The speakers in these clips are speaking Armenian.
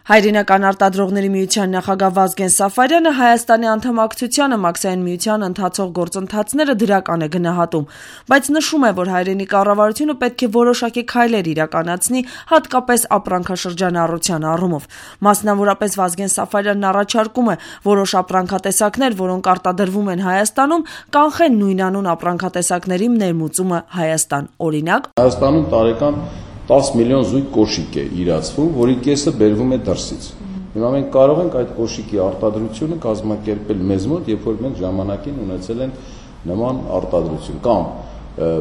Հայրենական արտադրողների միության նախագահ Վազգեն Սաֆարյանը Հայաստանի անդամակցությանը Մաքսային միության ընթացող գործընթացները դրական է գնահատում, բայց նշում է, որ հայրենի կառավարությունը պետք է որոշակի քայլեր իրականացնի, հատկապես ապրանքաշրջանառության առումով։ Մասնավորապես Վազգեն Սաֆարյանն առաջարկում է որոշ ապրանքատեսակներ, որոնք արտադրվում են Հայաստանում, կանխեն նույնանուն ապրանքատեսակների ներմուծումը Հայաստան։ Օրինակ, Հայաստանում տարեկան 10 միլիոն զույգ կոշիկ է իրացվում, որի կեսը բերվում է դրսից։ Հիմա մենք կարող ենք այդ կոշիկի արտադրությունը կազմակերպել մեզ մոտ, երբ որ մենք ժամանակին ունեցել ենք նման արտադրություն, կամ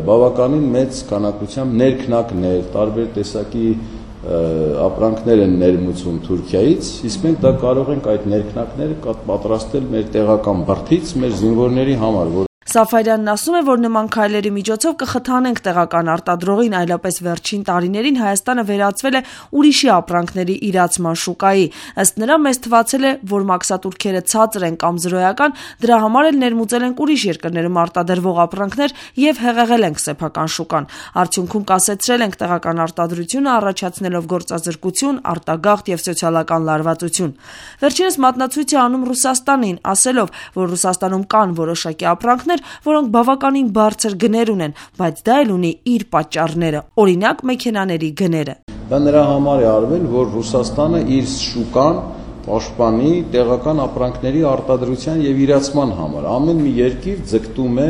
բավականին մեծ քանակությամբ ներքնակներ, տարբեր տեսակի ապրանքներ են ներմուծվում Թուրքիայից, իսկ մենք դա կարող ենք այդ ներքնակները պատրաստել մեր տեղական բրդից, մեր զինվորների համար, Սաֆարյանն ասում է, որ նման քայլերի միջոցով կխթանենք տեղական արտադրողին, այլապես վերջին տարիներին Հայաստանը վերածվել է ուրիշի ապրանքների իրացման շուկայի։ Ըստ նրա, մեզ թվացել է, որ մաքսատուրքերը ցածր են կամ զրոյական, դրա համար էլ ներմուծել ենք ուրիշ երկրներում արտադրվող ապրանքներ եւ հեղեղել ենք սեփական շուկան։ Արդյունքում կասեցրել ենք տեղական արտադրությունը, առաջացնելով գործազրկություն, արտագաղթ եւ սոցիալական լարվածություն։ Վերջինս մատնացույց է անում Ռուսաստանին, ասելով, որ Ռուսաստանում կան որոշակի ապրանքներ, որոնք բավականին բարձր գներ ունեն, բայց դա էլ ունի իր պատճառները, օրինակ մեքենաների գները։ Դա նրա համար է արվել, որ Ռուսաստանը իր շուկան պաշտպանի տեղական ապրանքների արտադրության եւ իրացման համար։ Ամեն մի երկիր ձգտում է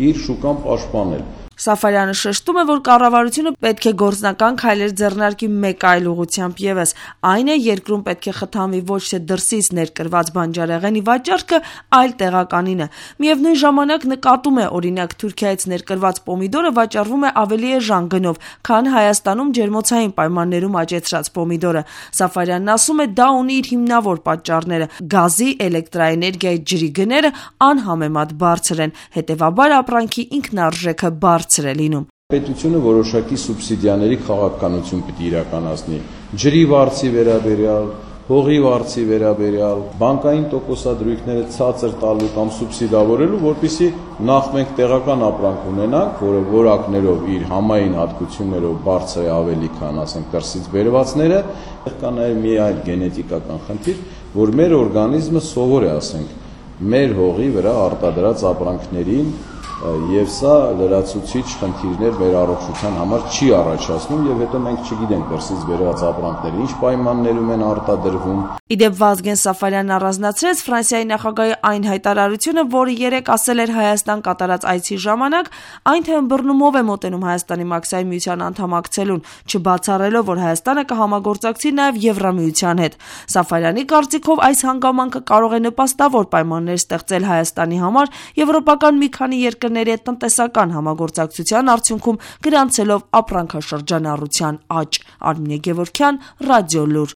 իր շուկան պաշտպանել։ Սաֆարյանը շեշտում է, որ կառավարությունը պետք է գործնական քայլեր ձեռնարկի մեկ այլ ուղղությամբ ևս, այն է երկրում պետք է խթանվի ոչ թե դրսից ներկրված բանջարեղենի վաճառքը, այլ տեղականինը։ Միևնույն ժամանակ նկատում է, օրինակ Թուրքիայից ներկրված պոմիդորը վաճառվում է ավելի էժան գնով, քան Հայաստանում ջերմոցային պայմաններում աճեցրած պոմիդորը։ Սաֆարյանն ասում է, դա ունի իր հիմնավոր պատճառները՝ գազի, էլեկտրաէներգիայի, ջրի գները անհամեմատ բարձր են, հետևաբար ապրանքի ինքնարժեքը բարձր է լինում։ Պետությունը որոշակի սուբսիդիաների քաղաքականություն պիտի իրականացնի ջրի վարձի վերաբերյալ, հողի վարձի վերաբերյալ, բանկային տոկոսադրույքները ցածր տալու կամ սուբսիդավորելու, որպեսզի նախ մենք տեղական ապրանք ունենանք, որը որակներով իր համային հատկություններով բարձր է ավելի, քան ասենք դրսից բերվածները, կա նաև մի այլ գենետիկական խնդիր, որ մեր օրգանիզմը սովոր է, ասենք, մեր հողի վրա արտադրած ապրանքներին եւ սա լրացուցիչ խնդիրներ մեր առողջության համար չի առաջացնում եւ հետո մենք չգիտենք դրսից բերված ապրանքները ինչ պայմաններում են արտադրվում։ Իդեպ Վազգեն Սաֆարյանն առանձնացրեց Ֆրանսիայի նախագահի այն հայտարարությունը, որը երեկ ասել էր Հայաստան կատարած այցի ժամանակ, այն թե ըմբռնումով է մոտենում Հայաստանի Մաքսային միության անդամակցելուն, չբացառելով, որ Հայաստանը կհամագործակցի նաեւ Եվրամիության հետ։ Սաֆարյանի կարծիքով այս հանգամանքը կարող է նպաստավոր պայմաններ ստեղծել Հայաստանի համար եվրոպական մի քանի երկրների հետ տնտեսական համագործակցության արդյունքում գրանցելով ապրանքաշրջանառության աճ։ Արմինե Գևորգյան, Ռադիոլուր։